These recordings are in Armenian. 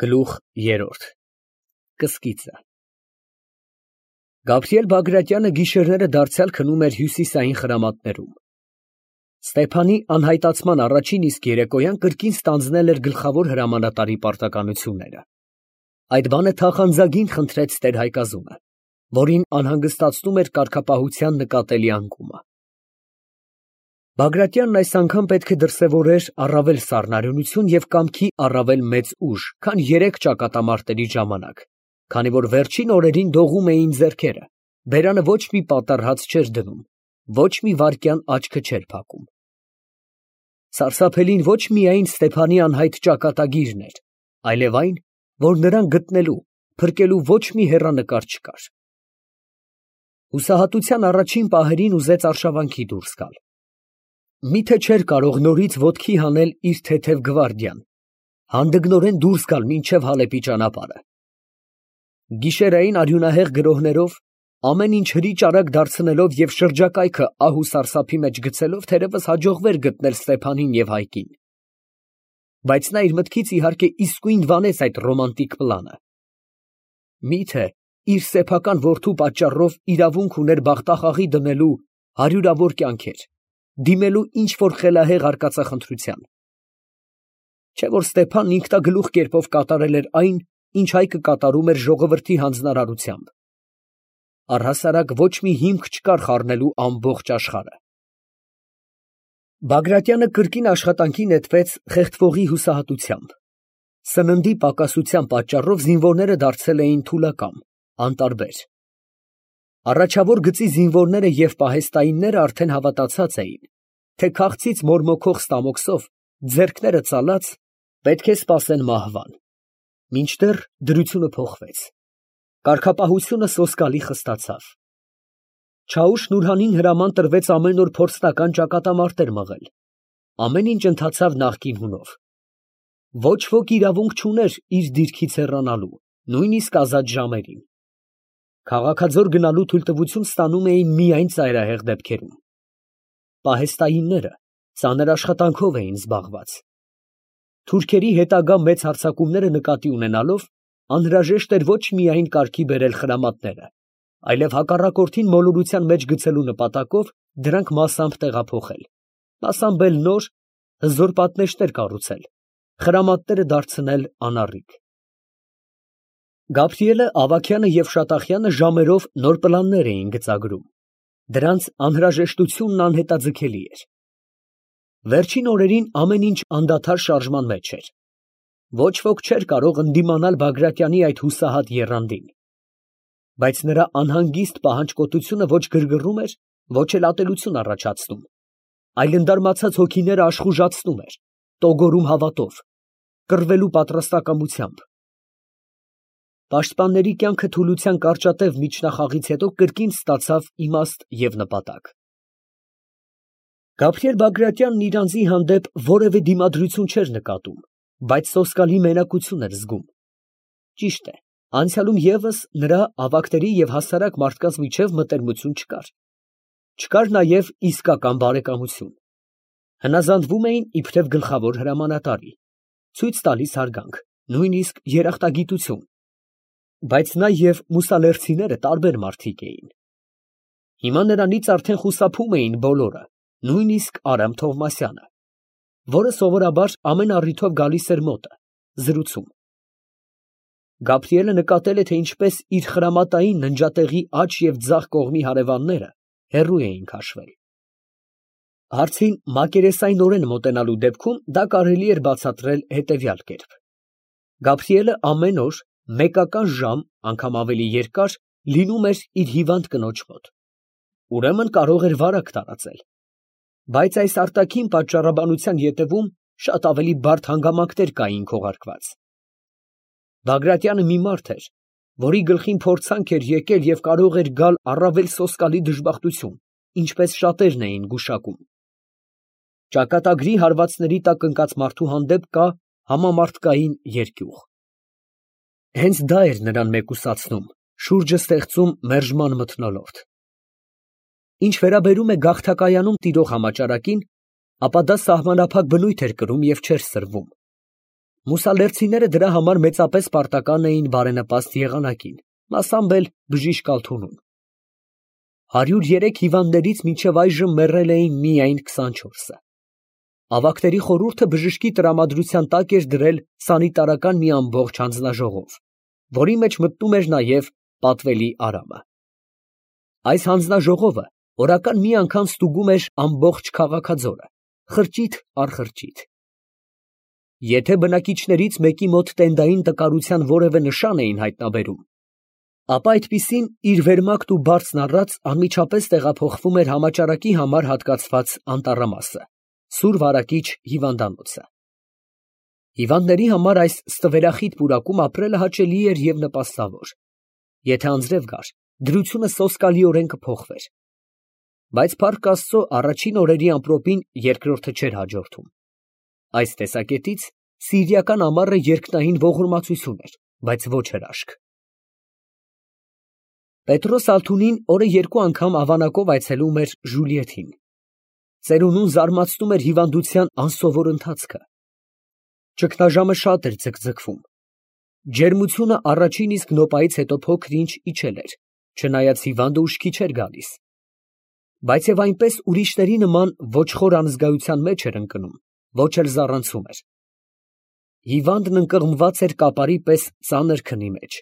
Գլուխ երրորդ Կսկիծը Գաբրիել Բագրատյանը գիշերները դարձյալ քնում էր հյուսիսային խրամատներում։ Ստեփանի անհայտացման առաջին իսկ երեկոյան կրկին ստանձնել էր գլխավոր հրամանատարի պարտականությունները։ Այդ բանը թախանձագին խնդրեց տեր-հայկազունը, որին անհանգստացնում էր կարգապահության նկատելի անկումը։ Բագրատյանն այս անգամ պետք է դրսևորեր առավել սառնարյունություն և կամքի առավել մեծ ուժ, քան երեք ճակատամարտերի ժամանակ, քանի որ վերջին օրերին դողում էին ձեռքերը, բերանը ոչ մի պատառհաց չէր դնում, ոչ մի վայրկյան աչքը չէր փակում։ Սարսափելին ոչ միայն Ստեփանի անհայտ ճակատագիրն էր, այլև այն, որ նրան գտնելու, փրկելու ոչ մի հեռանկար չկար։ Հուսահատության առաջին պահերին ուզեց արշավանքի դուրս գալ։ Միթե չէր կարող նորից ոտքի հանել իր թեթև գվարդիան, հանդգնորեն դուրս գալ մինչև Հալեպի ճանապարհը։ Գիշերային արյունահեղ գրոհներով, ամեն ինչ հրի-ճարակ դարձնելով և շրջակայքը ահ ու սարսափի մեջ գցելով թերևս հաջողվեր գտնել Ստեփանին և Հայկին։ Բայց նա իր մտքից իհարկե իսկույն վանեց այդ ռոմանտիկ պլանը։ Միթե իր սեփական որդու պատճառով իրավունք ուներ բախտախաղի դնելու հարյուրավոր կյանքեր, դիմելու ինչ֊որ խելահեղ արկածախնդրության։ Չէ՞ որ Ստեփանն ինքնագլուխ կերպով կատարել էր այն, ինչ Հայկը կատարում էր ժողովրդի հանձնարարությամբ։ Առհասարակ ոչ մի հիմք չկար խառնելու ամբողջ աշխարհը։ Բագրատյանը կրկին աշխատանքի նետվեց խեղդվողի հուսահատությամբ։ Սննդի պակասության պատճառով զինվորները դարձել էին թուլակամ, անտարբեր։ Առաջավոր գծի զինվորները և պահեստայինները արդեն հավատացած էին, թե քաղցից մորմոքող ստամոքսով, ձեռքները ծալած, պետք է սպասեն մահվան։ Մինչդեռ դրությունը փոխվեց։ Կարգապահությունը սոսկալի խստացավ։ Չաուշ֊Նուրհանին հրաման տրվեց ամեն օր փորձնական ճակատամարտեր մղել։ Ամեն ինչ ընթացավ նախկին հունով։ Ոչ ոք իրավունք չուներ իր դիրքից հեռանալու, նույնիսկ ազատ ժամերին։ Քաղաքաձոր գնալու թույլտվություն ստանում էին միայն ծայրահեղ դեպքերում։ Պահեստայինները ծանր աշխատանքով էին զբաղված։ Թուրքերի հետագա մեծ հարձակումները նկատի ունենալով, անհրաժեշտ էր ոչ միայն կարգի բերել խրամատները, այլև հակառակորդին մոլորության մեջ գցելու նպատակով դրանք մասամբ տեղափոխել, մասամբ էլ նոր, հզոր պատնեշներ կառուցել, խրամատները դարձնել անառիկ։ Գաբրիելը, Ավագյանը և Շատախյանը ժամերով նոր պլաններ էին գծագրում։ Դրանց անհրաժեշտությունն անհետաձգելի էր։ Վերջին օրերին ամեն ինչ անդադար շարժման մեջ էր։ Ոչ ոք չէր կարող ընդդիմանալ Բագրատյանի այդ հուսահատ եռանդին։ Բայց նրա անհանգիստ պահանջկոտությունը ոչ գրգռում էր, ոչ էլ ատելություն առաջացնում, այլ ընդարմացած հոգիները աշխուժացնում էր, տոգորում հավատով, կռվելու պատրաստակամությամբ։ Պաշտպանների կյանքը թուլության կարճատև միջնախաղից հետո կրկին ստացավ իմաստ և նպատակ։ Գաբրիել Բագրատյանն իր անձի հանդեպ որևէ դիմադրություն չէր նկատում, բայց սոսկալի մենակություն էր զգում։ Ճիշտ է, անցյալում ևս նրա ավագների և հասարակ մարդկանց միջև մտերմություն չկար։ Չկար նաև իսկական բարեկամություն։ Հնազանդվում էին իբրև գլխավոր հրամանատարի, ցույց տալիս հարգանք, նույնիսկ երախտագիտություն։ Բայց նա և մուսալերցիները տարբեր մարդիկ էին։ Հիմա նրանից արդեն խուսափում էին բոլորը, նույնիսկ Արամ Թովմասյանը, որը սովորաբար ամեն առիթով գալիս էր մոտը, զրուցում։ Գաբրիելը նկատել է, թե ինչպես իր խրամատային ննջատեղի աջ և ձախ կողմի հարևանները հեռու էին քաշվել։ Հարցին մակերեսայնորեն մոտենալու դեպքում դա կարելի էր բացատրել հետևյալ կերպ. Գաբրիելը ամեն օր մեկական ժամ, անգամ ավելի երկար, լինում էր իր հիվանդ կնոջ մոտ։ Ուրեմն կարող էր վարակ տարածել։ Բայց այս արտաքին պատճառաբանության ետևում շատ ավելի բարդ հանգամանքներ կային քողարկված։ Բագրատյանը մի մարդ էր, որի գլխին փորձանք էր եկել և կարող էր գալ առավել սոսկալի դժբախտություն, ինչպես շատերն էին գուշակում։ Ճակատագրի հարվածների տակ ընկած մարդու հանդեպ կա համամարտկային երկյուղ։ Հենց դա էր նրան մեկուսացնում, շուրջը ստեղծում մերժման մթնոլորտ։ Ինչ վերաբերում է Մուսալերցիները դրա համար մեծապես պարտական էին բարենպաստ եղանակին, մասամբ էլ բժիշկ Ալթունուն։ 103 հիվանդներից մինչև այժմ մեռել էին միայն 24-ը։ Ավագների խորհուրդը բժշկի տրամադրության տակ էր դրել սանիտարական մի ամբողջ հանձնաժողով, որի մեջ մտնում էր նաև պատվելի Արամը։ Այս հանձնաժողովը օրական մի անգամ ստուգում էր ամբողջ քաղաքաձորը, խրճիթ առ խրճիթ։ Եթե բնակիչներից մեկի մոտ տենդային տկարության որևէ նշան էին հայտնաբերում, ապա այդպիսին իր վերմակն ու բարձն առած անմիջապես տեղափոխվում էր համաճարակի համար հատկացված անտառամասը, Սուր Վարակիչ հիվանդանոցը։ Հիվանդների համար այս ստվերախիտ պուրակում ապրելը հաճելի էր և նպաստավոր։ Եթե անձրև գար, դրությունը սոսկալիորեն կփոխվեր։ Բայց փառք Աստծո, առաջին օրերի ամպրոպին երկրորդը չէր հաջորդում։ Այս տեսակետից սիրիական ամառը երկնային ողորմածություն էր, բայց ոչ հրաշք։ Պետրոս Ալթունին օրը 2 անգամ ավանակով այցելում էր Ժուլիեթին։ Ծերունուն զարմացնում էր հիվանդության անսովոր ընթացքը։ Ճգնաժամը շատ էր ձգձգվում։ Ջերմությունը առաջին իսկ նոպայից հետո փոքր-ինչ իջել էր, չնայած հիվանդը ուշքի չէր գալիս։ Բայց և այնպես ուրիշների նման ոչ խոր անզգայության մեջ էր ընկնում, ոչ էլ զառանցում էր։ Հիվանդն ընկղմված էր կապարի պես ծանր քնի մեջ,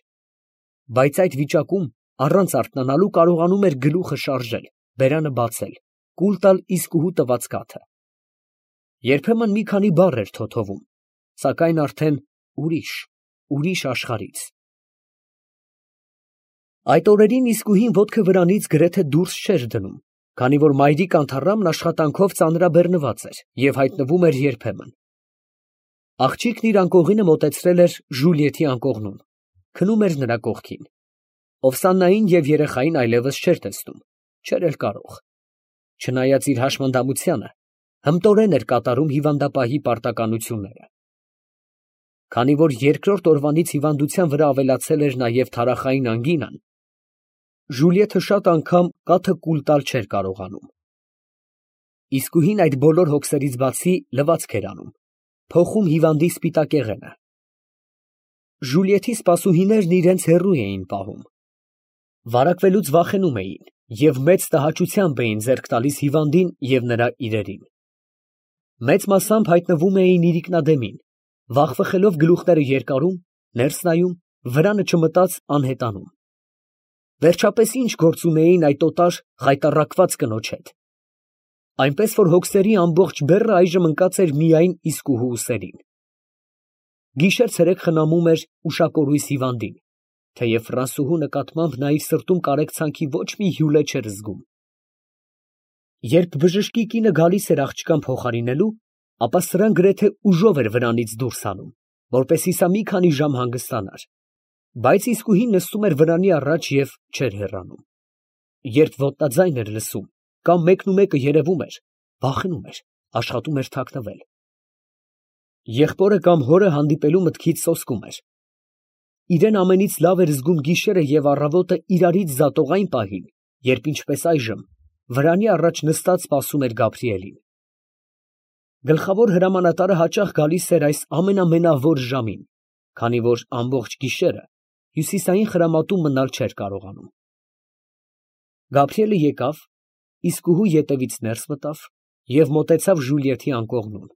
բայց այդ վիճակում առանց արթնանալու կարողանում էր գլուխը շարժել, բերանը բացել, կուլ տալ իսկուհու տված կաթը։ Երբեմն մի քանի բառ էր թոթովում, սակայն արդեն ուրիշ աշխարհից։ Այդ օրերին իսկուհին ոտքը վրանից գրեթե դուրս չէր դնում, քանի որ մայրիկ Անթառամն աշխատանքով ծանրաբեռնված էր և հայտնվում էր երբեմն։ Աղջիկն իր անկողինը մոտեցրել էր Ժուլիեթի անկողնուն, քնում էր նրա կողքին։ Օվսաննային և երեխային այլևս չէր տեսնում, չէր էլ կարող։ Չնայած իր հաշմանդամությանը, հմտորեն էր կատարում հիվանդապահի պարտականությունները։ Քանի որ երկրորդ օրվանից հիվանդության վրա ավելացել էր նաև թարախային անգինան, Ժուլիեթը շատ անգամ կաթը կուլ տալ չէր կարողանում։ Իսկուհին այդ բոլոր հոգսերից բացի լվացք էր անում, փոխում հիվանդի սպիտակեղենը։ Ժուլիեթի սպասուհիներն իրենց հեռու էին պահում։ Վարակվելուց վախենում էին և մեծ տհաճությամբ էին ձեռք տալիս հիվանդին և նրա իրերին։ Մեծ մասամբ հայտնվում էին իրիկնադեմին, վախվխելով գլուխները երկարում, ներս նայում, վրանը չմտած անհետանում։ Վերջապես ի՞նչ գործ ունեին այդ օտար խայտառակված կնոջ հետ։ Այնպես որ հոգսերի ամբողջ բեռը այժմ ընկած էր միայն իսկուհու ուսերին։ Գիշեր֊ցերեկ խնամում էր ուշակորույս հիվանդին, թեև ֆրանսուհու նկատմամբ նա իր սրտում կարեկցանքի ոչ մի հյուլե չէր զգում։ Երբ բժշկի կինը գալիս էր աղջկան փոխարինելու, ապա սրան գրեթե ուժով էր վրանից դուրս հանում, որպեսզի սա մի քանի ժամ հանգստանար, բայց իսկուհին նստում էր վրանի առաջ և չէր հեռանում։ Երբ ոտնաձայն էր լսում, կամ մեկնումեկը երևում էր, վախենում էր, աշխատում էր թաքնվել։ Եղբորը կամ հորը հանդիպելու մտքից սոսկում էր։ Իրեն ամենից լավ էր զգում գիշերը և առավոտը իրարից զատող այն պահին, երբ ինչպես այժմ վրանի առաջ նստած սպասում էր Գաբրիելին։ Գլխավոր հրամանատարը հաճախ գալիս էր այս ամենամենավոր ժամին, քանի որ ամբողջ գիշերը հյուսիսային խրամատում մնալ չէր կարողանում։ Գաբրիելը եկավ, իսկուհու ետևից ներս մտավ և մոտեցավ Ժուլիեթի անկողնուն։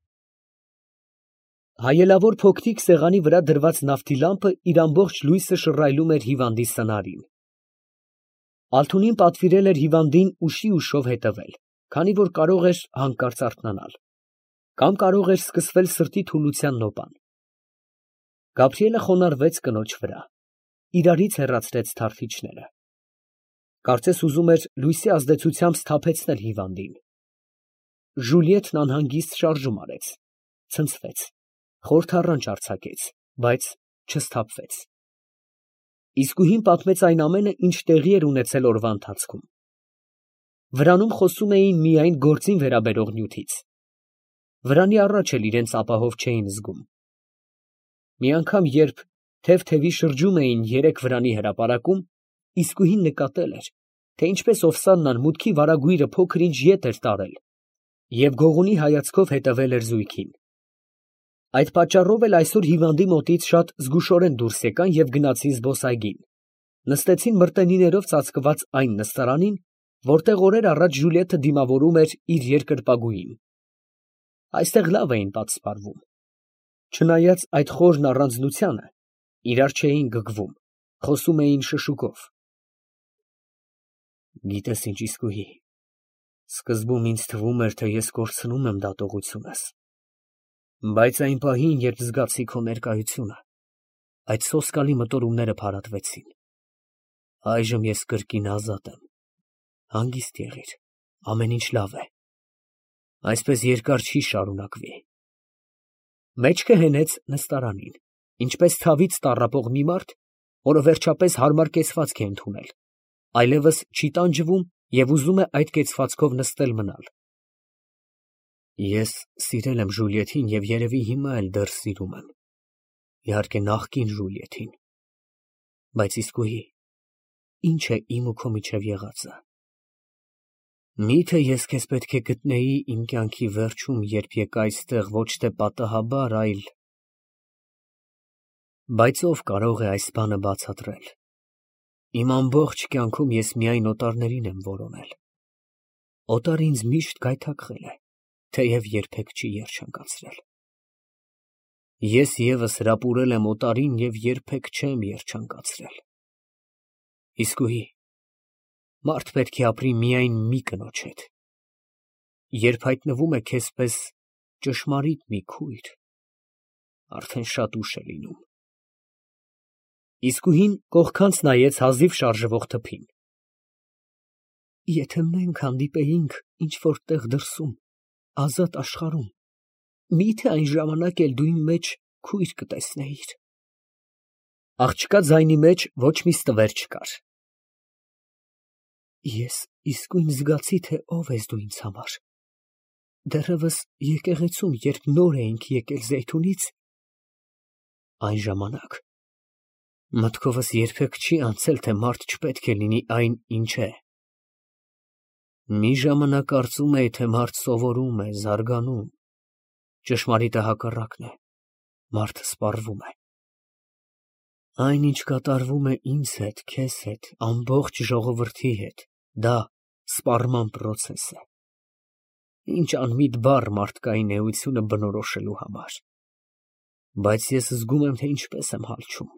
Հայելավոր փոքրիկ սեղանի վրա դրված նավթի լամպը իր ամբողջ լույսը շռայլում էր հիվանդի սնարին։ Ալթունին պատվիրել էր հիվանդին ուշի ուշով հետևել, քանի որ կարող էր հանկարծ արթնանալ, կամ կարող էր սկսվել սրտի թուլության նոպան։ Գաբրիելը խոնարհվեց կնոջ վրա, իրարից հեռացրեց թարխիչները։ Կարծես ուզում էր լույսի ազդեցությամբ սթափեցնել հիվանդին։ Ժուլիետն անհանգիստ շարժում արեց, ցնցվեց, խորթառանչ արձակեց, բայց չսթափվեց։ Իսկուհին պատմեց այն ամենը, ինչ տեղի էր ունեցել օրվա ընթացքում։ Վրանում խոսում էին միայն գործին վերաբերող նյութից։ Վրանի առաջ էլ իրենց ապահով չէին զգում։ Մի անգամ, երբ թև-թևի շրջում էին երեք վրանի հրապարակում, իսկուհին նկատել էր, թե ինչպես Օվսաննան մուտքի վարագույրը փոքր ինչ ետ էր տարել և գողունի հայացքով հետևել էր զույգին։ Այդ պատճառով էլ այսօր հիվանդի մոտից շատ զգուշորեն դուրս եկան և գնացին զբոսայգին, նստեցին մրտենիներով ծածկված այն նստարանին, որտեղ օրեր առաջ Ժուլիետը դիմավորում էր իր երկրպագուին. այստեղ լավ էին պատսպարվում, չնայած այդ խորն առանձնությանը, իրար չէին գգվում, խոսում էին շշուկով։ Գիտես ինչ, Իսկույի, սկզբում ինձ թվում էր, թե ես կորցնում եմ դատողությունս, բայց այն պահին, երբ զգացի քո ներկայությունը, այդ սոսկալի մտորումները փարատվեցին։ Այժմ ես կրկին ազատ եմ, հանգիստ եղիր, ամեն ինչ լավ է, այսպես երկար չի շարունակվի։ Մեջքը հենեց նստարանին, ինչպես ցավից տառապող մի մարդ, որը վերջապես հարմար կեցվածք է ընդունել, այլևս չի տանջվում և ուզում է այդ կեցվածքով նստել մնալ։ Ես սիրել եմ Ժուլիետին և երևի հիմա էլ դեռ սիրում եմ, իհարկե նախկին Ժուլիետին, բայց Իսկույի, ինչ է իմ ու քո միջև եղածը։ Միթե ես քեզ պետք է գտնեի իմ կյանքի վերջում, երբ եկա այստեղ ոչ թե պատահաբար, այլ… Բայց ով կարող է այս բանը բացատրել։ Իմ ամբողջ կյանքում ես միայն օտարներին եմ որոնել։ Օտարը ինձ միշտ գայթակղել է, թեև երբեք չի երջանկացրել։ Ես ևս հրապուրել եմ օտարին և երբեք չեմ երջանկացրել։ Իսկույի, մարդ պետք է ապրի միայն մի կնոջ հետ։ Երբ հայտնվում է քեզ պես ճշմարիտ մի քույր, արդեն շատ ուշ է լինում։ Իսկույին կողքանց նայեց հազիվ շարժվող թփին։ Եթե մենք հանդիպեինք ինչ-որ տեղ դրսում, ազատ աշխարհում, միթե այն ժամանակ էլ դու իմ մեջ քույր կտեսնեիր։ Աղջկա ձայնի մեջ ոչ մի ստվեր չկար։ Ես իսկույն զգացի, թե ով ես դու ինձ համար։ Դեռևս եկեղեցում, երբ նոր էինք եկել Զեյթունից, այն ժամանակ մտքովս երբեք չի անցել, թե մարդ չպետք է լինի այն, ինչ է։ Մի ժամանակ կարծում էի, թե մարդ սովորում է, զարգանում, ճշմարիտը հակառակն է, մարդը սպառվում է։ Այն, ինչ կատարվում է ինձ հետ, քեզ հետ, ամբողջ ժողովրդի հետ, դա սպառման պրոցես է։ Ինչ անմիտ բառ մարդկային էությունը բնորոշելու համար։ Բայց ես զգում եմ, թե ինչպես եմ հալչում։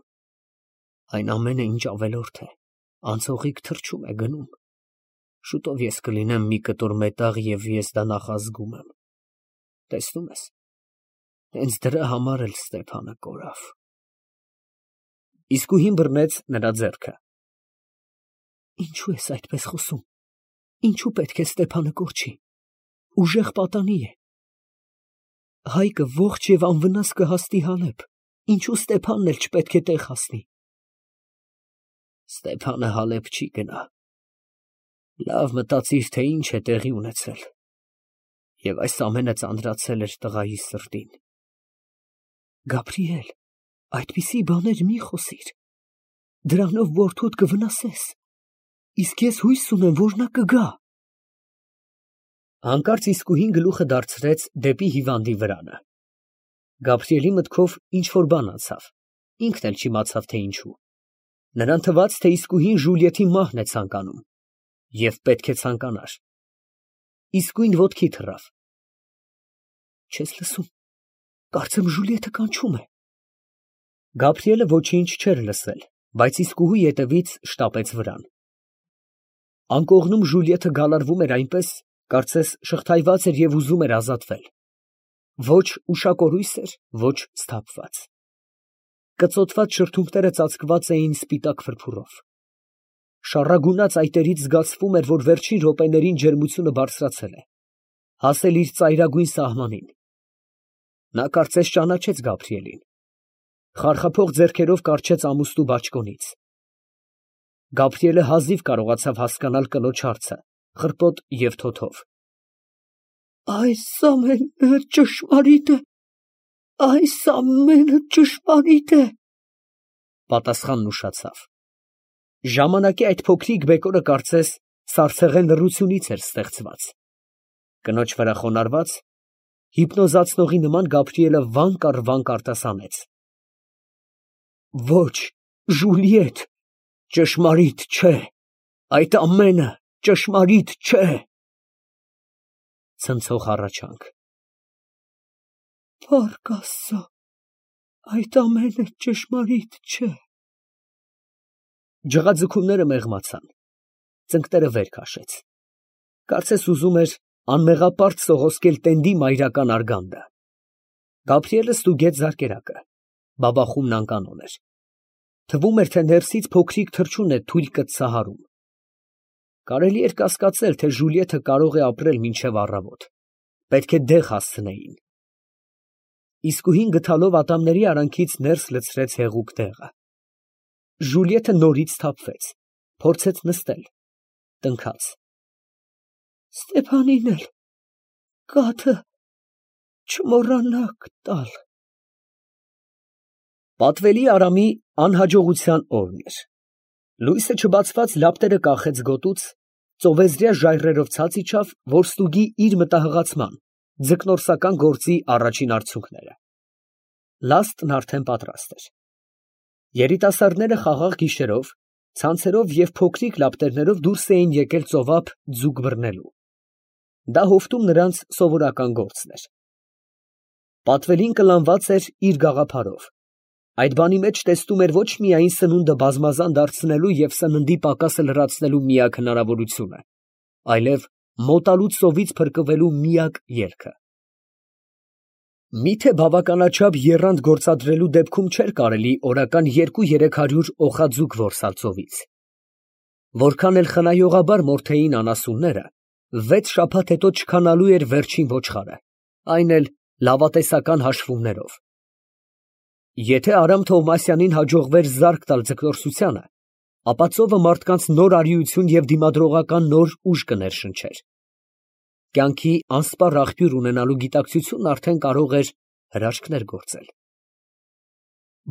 Այն ամենը, ինչ ավելորդ է, անցողիկ թռչում է գնում։ Շուտով ես կլինեմ մի կտոր մետաղ և ես դա նախազգում եմ։ Տեսնում ես, հենց դրա համար էլ Ստեփանը կորավ։ Իսկույին բռնեց նրա ձեռքը։ Ինչու ես այդպես խոսում։ Ինչու պետք է Ստեփանը կորչի։ Ուժեղ պատանի է։ Հայկը ողջ և անվնաս կհասնի Հալեբ։ Ինչու Ստեփանն էլ չպետք է տեղ հասնի։ Ստեփանը Հալեբ չի գնա։ Լավ մտածիր, թե ինչ է տեղի ունեցել։ Եվ այս ամենը ծանրացել էր տղայի սրտին։ Գաբրիել, այդպիսի բաներ մի խոսիր։ Դրանով որդուդ կվնասես։ Իսկ ես հույս ունեմ, որ նա կգա։ Հանկարծ Իսկույին գլուխը դարձրեց դեպի հիվանդի վրանը։ Գաբրիելի մտքով ինչ-որ բան անցավ, ինքն էլ չիմացավ, թե ինչու։ Նրան թվաց, թե Իսկույին Ժուլիետի մահն է ցանկանում, և պետք է ցանկանար։ Իսկույն ոտքի թռավ։ Չես լսում, կարծեմ Ժուլիետը կանչում է։ Գաբրիելը ոչինչ չէր լսել, բայց Իսկուհու ետևից շտապեց վրան։ Անկողնում Ժուլիետը գալարվում էր այնպես, կարծես շղթայված էր և ուզում էր ազատվել։ Ոչ ուշակորույս էր, ոչ սթափված։ Կծոտված շրթունքները ծածկված էին սպիտակ փրփուրով։ Շառագունած այտերից զգացվում էր, որ վերջին րոպեներին ջերմությունը բարձրացել է, հասել իր ծայրագույն սահմանին։ Նա կարծես ճանաչեց Գաբրիելին։ Խարխափող ձեռքերով կառչեց ամուստու բաճկոնից։ Գաբրիելը հազիվ կարողացավ հասկանալ կնոջ հարցը, խռպոտ և թոթով։ Այս ամենը ճշմարիտ է, այս ամենը ճշմարիտ է, պատասխանն ուշացավ։ Ժամանակի այդ փոքրիկ բեկորը կարծես սառցեղեն լռությունից էր ստեղծված։ Կնոջ վրա խոնարհված, Հիպնոզացնողի նման Գաբրիելը վանք առ վանք արտասանեց. Ոչ, Ժուլիետ, ճշմարիտ չէ, այդ ամենը ճշմարիտ չէ։ Ցնցող հառաչանք։ Փառք Աստծո, այդ ամենը ճշմարիտ չէ։ Ջղաձգումները մեղմացան, ծնկները վեր քաշեց, կարծես ուզում էր անմեղապարտ սողոսկել տենդի մայրական արգանդը։ Գաբրիելը ստուգեց զարկերակը, բաբախումն անկանոն էր, թվում էր, թե ներսից փոքրիկ թռչուն է թույլ կծահարում։ Կարելի էր կասկածել, թե Ժուլիեթը կարող է ապրել մինչև առավոտ, պետք է դեղ հասցնեին։ Իսկույն գթալով ատամների արանքից ներս լցրեց հեղուկ դեղը։ Ժուլիեթը նորից սթափվեց, փորձեց նստել, տնքաց։ Ստեփանին էլ կաթը չմոռանաք տալ։ Պատվելի Արամի անհաջողության օրն էր։ Լույսը չբացված լապտերը կախեց գոտուց, ծովեզրյա ժայռերով ցած իջավ, որ ստուգի իր մտահղացման, ձկնորսական գործի առաջին արդյունքները։ Լաստն արդեն պատրաստ էր։ Երիտասարդները խաղաղ գիշերով, ցանցերով և փոքրիկ լապտերներով դուրս էին եկել ծովափ ձուկ բռնելու։ Դա հովտում նրանց սովորական գործն էր։ Պատվելին կլանված էր իր գաղափարով։ Այդ բանի մեջ տեսնում էր ոչ միայն սնունդը բազմազան դարձնելու և սննդի պակասը լրացնելու միակ հնարավորությունը, այլև մոտալու ծովից փրկվելու միակ ելքը։ Միթե բավականաչափ եռանդ գործադրելու դեպքում չէր կարելի օրական 200-300 օխաձուկ որսալ ծովից։ Որքան էլ խնայողաբար մորթեին անասունները, 6 շաբաթ հետո չքանալու էր վերջին ոչխարը, այն էլ լավատեսական հաշվումներով։ Եթե Արամ Թովմասյանին հաջողվեր զարկ տալ ձկնորսությանը, ապա ծովը մարդկանց նոր արիություն և դիմադրողական նոր ուժ կներշնչեր։ Կյանքի անսպառ աղբյուր ունենալու գիտակցությունն արդեն կարող էր հրաշքներ գործել։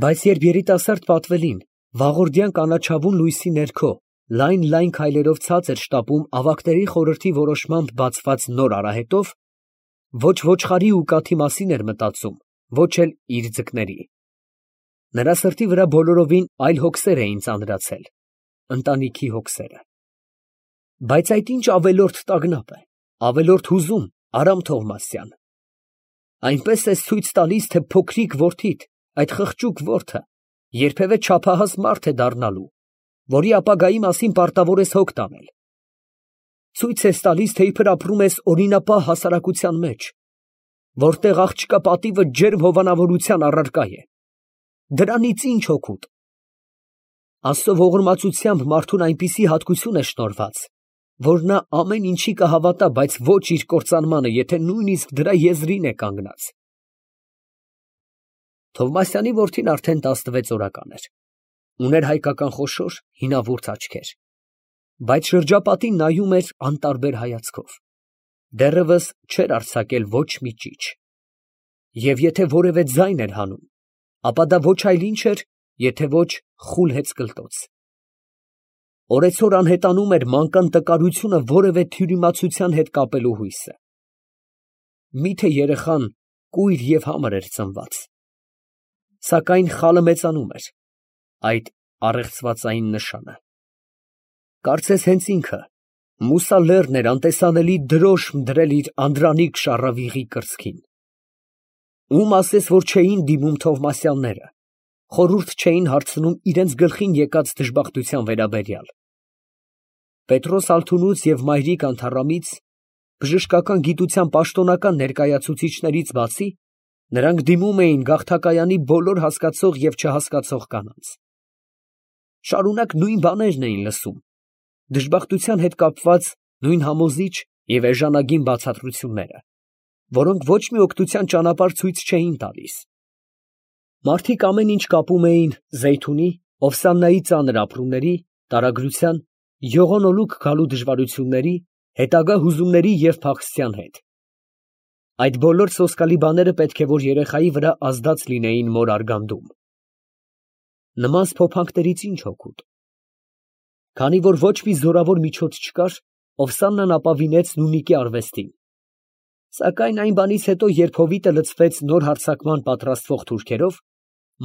Բայց երբ երիտասարդ Պատվելին վաղորդյան կանաչավուն լույսի ներքո լայն քայլերով ցած էր շտապում ավագների խորհրդի որոշմամբ բացված նոր արահետով, ոչ ոչխարի ու կաթի մասին էր մտածում, ոչ էլ իր ձկների։ Նրա սրտի վրա բոլորովին այլ հոգսեր էին ծանրացել, ընտանիքի հոգսերը։ Բայց այդ ինչ ավելորդ տագնապ է, ավելորդ հուզում, Արամ Թովմասյան։ Այնպես ես ցույց տալիս, թե փոքրիկ որդիդ, այդ խղճուկ որդը, երբևէ չափահաս մարդ է դառնալու, որի ապագայի մասին պարտավոր ես հոգ տանել։ Ցույց ես տալիս, թե իբր ապրում ես օրինապահ հասարակության մեջ, որտեղ աղջկա պատիվը ջերմ հովանավորության առարկա է։ Դրանից ինչ օգուտ։ Աստծո ողորմածությամբ մարդուն այնպիսի հատկություն է շնորհված, որ նա ամեն ինչի կհավատա, բայց ոչ իր կործանմանը, եթե նույնիսկ դրա եզրին է կանգնած։ Թովմասյանի որդին արդեն 16 օրական էր, ուներ հայկական խոշոր, հինավուրց աչքեր, բայց շրջապատին նայում էր անտարբեր հայացքով, դեռևս չէր արձակել ոչ մի ճիչ, և եթե որևէ ձայն էր հանում, ապա դա ոչ այլ ինչ էր, եթե ոչ խուլ հեծկլտոց։ Օրեցօր անհետանում էր մանկան տկարությունը որևէ թյուրիմացության հետ կապելու հույսը։ Միթե երեխան կույր և համր էր ծնված, սակայն խալը մեծանում էր, այդ առեղծվածային նշանը։ Կարծես հենց ինքը, Մուսա լեռն էր անտեսանելի դրոշմ դրել իր անդրանիկ շառավիղի կրծքին։ Ում ասես, որ չէին դիմում Թովմասյանները, խորհուրդ չէին հարցնում իրենց գլխին եկած դժբախտության վերաբերյալ։ Պետրոս Ալթունուց և մայրիկ Անթառամից, բժշկական գիտության պաշտոնական ներկայացուցիչներից բացի, նրանք դիմում էին գաղթակայանի բոլոր հասկացող և չհասկացող կանանց։ Շարունակ նույն բաներն էին լսում, դժբախտության հետ կապված նույն համոզիչ և էժանագին բացատրությունները, որոնք ոչ մի օգնության ճանապարհ ցույց չէին տալիս։ Մարդիկ ամեն ինչ կապում էին Զեյթունի, Օվսաննայի ծանր ապրումների, տարագրության, յողոնոլուկ գալու դժվարությունների, հետագա հուզումների և փախստյան հետ։ Այդ բոլոր սոսկալի բաները պետք է որ երեխայի վրա ազդած լինեին մոր արգանդում։ Նման սփոփանքներից ինչ օգուտ։ Քանի որ ոչ մի զորավոր միջոց չկար, Օվսաննան ապավինեց Նունիկի արվեստին։ Սակայն այն բանից հետո, երբ հովիտը լցվեց նոր հարձակման պատրաստվող թուրքերով,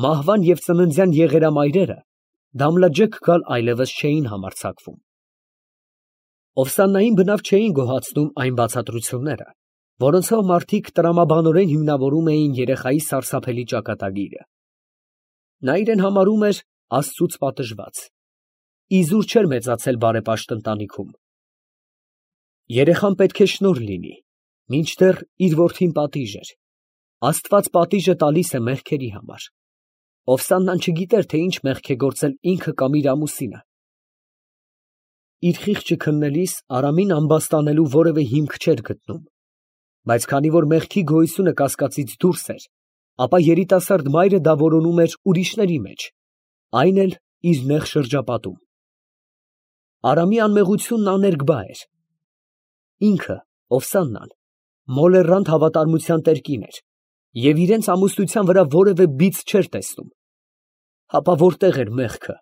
մահվան և ծննդյան եղերամայրերը Դամլաջեկ գալ այլևս չէին համարձակվում։ Օվսաննային բնավ չէին գոհացնում այն բացատրությունները, որոնցով մարդիկ տրամաբանորեն հիմնավորում էին երեխայի սարսափելի ճակատագիրը։ Նա իրեն համարում էր Աստծուց պատժված, իզուր չէր մեծացել բարեպաշտ ընտանիքում։ Երեխան պետք է շնորհ լինի, մինչդեռ իր որդին պատիժ էր։ Աստված պատիժը տալիս է մեղքերի համար։ Օվսաննան չգիտեր, թե ինչ մեղք է գործել ինքը կամ իր ամուսինը։ Իր խիղճը քննելիս Արամին ամբաստանելու որևէ հիմք չէր գտնում, բայց քանի որ մեղքի գոյությունը կասկածից դուրս էր, ապա երիտասարդ մայրը դա որոնում էր ուրիշների մեջ, այն էլ իր նեղ շրջապատում։ Արամի անմեղությունն աներկբա էր։ Ինքը, Օվսաննան, մոլեռանդ հավատարմության տեր կին էր և իրենց ամուսնության վրա որևէ բիծ չէր տեսնում։ Հապա որտեղ էր մեղքը,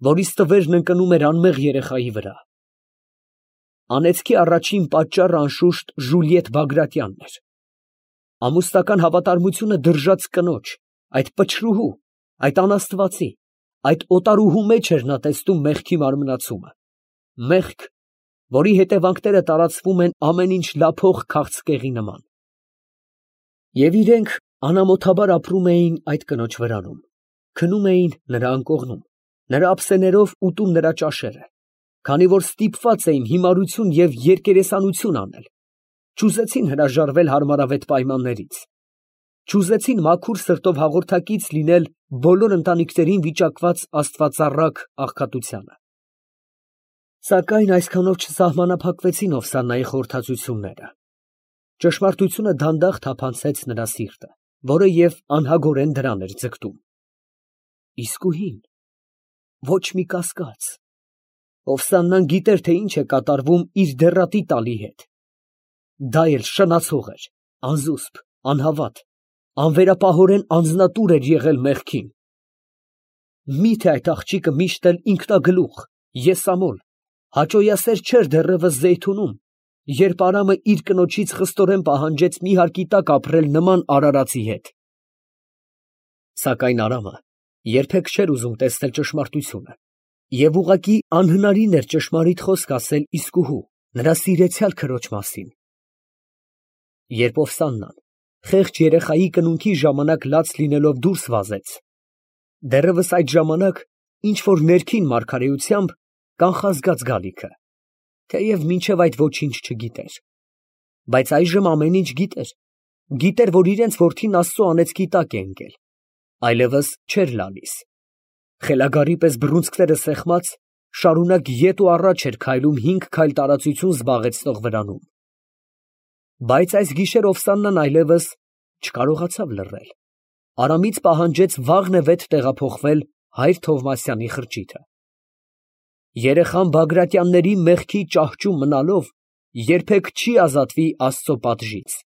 որից տվերն ընկնում էր անմեղ երեխայի վրա։ Անեծքի առաջին պատճառը անշուշտ Ժուլիետ Բագրատյանն էր։ Ամուսնական հավատարմությունը դրժած կնոջ, այդ պչրուհու, այդ անաստվածի, այդ օտարուհու մեջ էր նա տեսնում մեղքի մարմնացումը, մեղք, որի հետևանքները տարածվում են ամեն ինչ լափող քաղցկեղի նման։ Եվ իրենք անամոթաբար ապրում էին այդ կնոջ վրանում, քնում էին նրա անկողնում, նրա ափսեներով ուտում նրա ճաշերը, քանի որ ստիպված էին հիմարություն և երկերեսանություն անել, չուզեցին հրաժարվել հարմարավետ պայմաններից, չուզեցին մաքուր սրտով հաղորդակից լինել բոլոր ընտանիքներին վիճակված աստվածառակ աղքատությանը։ Սակայն այսքանով չսահմանափակվեցին Օվսաննայի խորհրդածությունները։ Ճշմարտությունը դանդաղ թափանցեց նրա սիրտը, որը և անհագորեն դրան էր ձգտում։ Իսկույն ոչ մի կասկած։ Օվսաննան գիտեր, թե ինչ է կատարվում իր դեռատի տալի հետ։ Դա էլ շնացող էր, անզուսպ, անհավատ, անվերապահորեն անձնատուր էր եղել մեղքին։ Մի՞թե այդ աղջիկը միշտ էլ ինքնագլուխ, եսամոլ, հաճոյասեր չէր դեռևս Զեյթունում, երբ Արամը իր կնոջից խստորեն պահանջեց մի հարկի տակ ապրել նման արարածի հետ։ Սակայն Արամը երբեք չէր ուզում տեսնել ճշմարտությունը, և ուղղակի անհնարին էր ճշմարիտ խոսք ասել իսկուհու, նրա սիրեցյալ քրոջ մասին։ Երբ Օվսաննան խեղճ երեխայի կնունքի ժամանակ լաց լինելով դուրս վազեց, դեռևս այդ ժամանակ ինչ֊որ ներքին մարգարեությամբ կանխազգաց գալիքը, թեև մինչև այդ ոչինչ չգիտեր, բայց այժմ ամեն ինչ գիտեր, գիտեր, որ իրենց որդին Աստծո անեծքի տակ է ընկել, այլևս չէր լալիս, խելագարի պես բռունցքները սեղմած, շարունակ ետ ու առաջ էր քայլում 5 քայլ տարածություն զբաղեցնող վրանում։ Բայց այս գիշեր Օվսաննան այլևս չկարողացավ լռել, Արամից պահանջեց վաղնևեթ տեղափոխվել հայր Թովմասյանի խրճիթը։ Երեխան Բագրատյանների մեղքի ճահճում մնալով երբեք չի ազատվի Աստծո պատժից։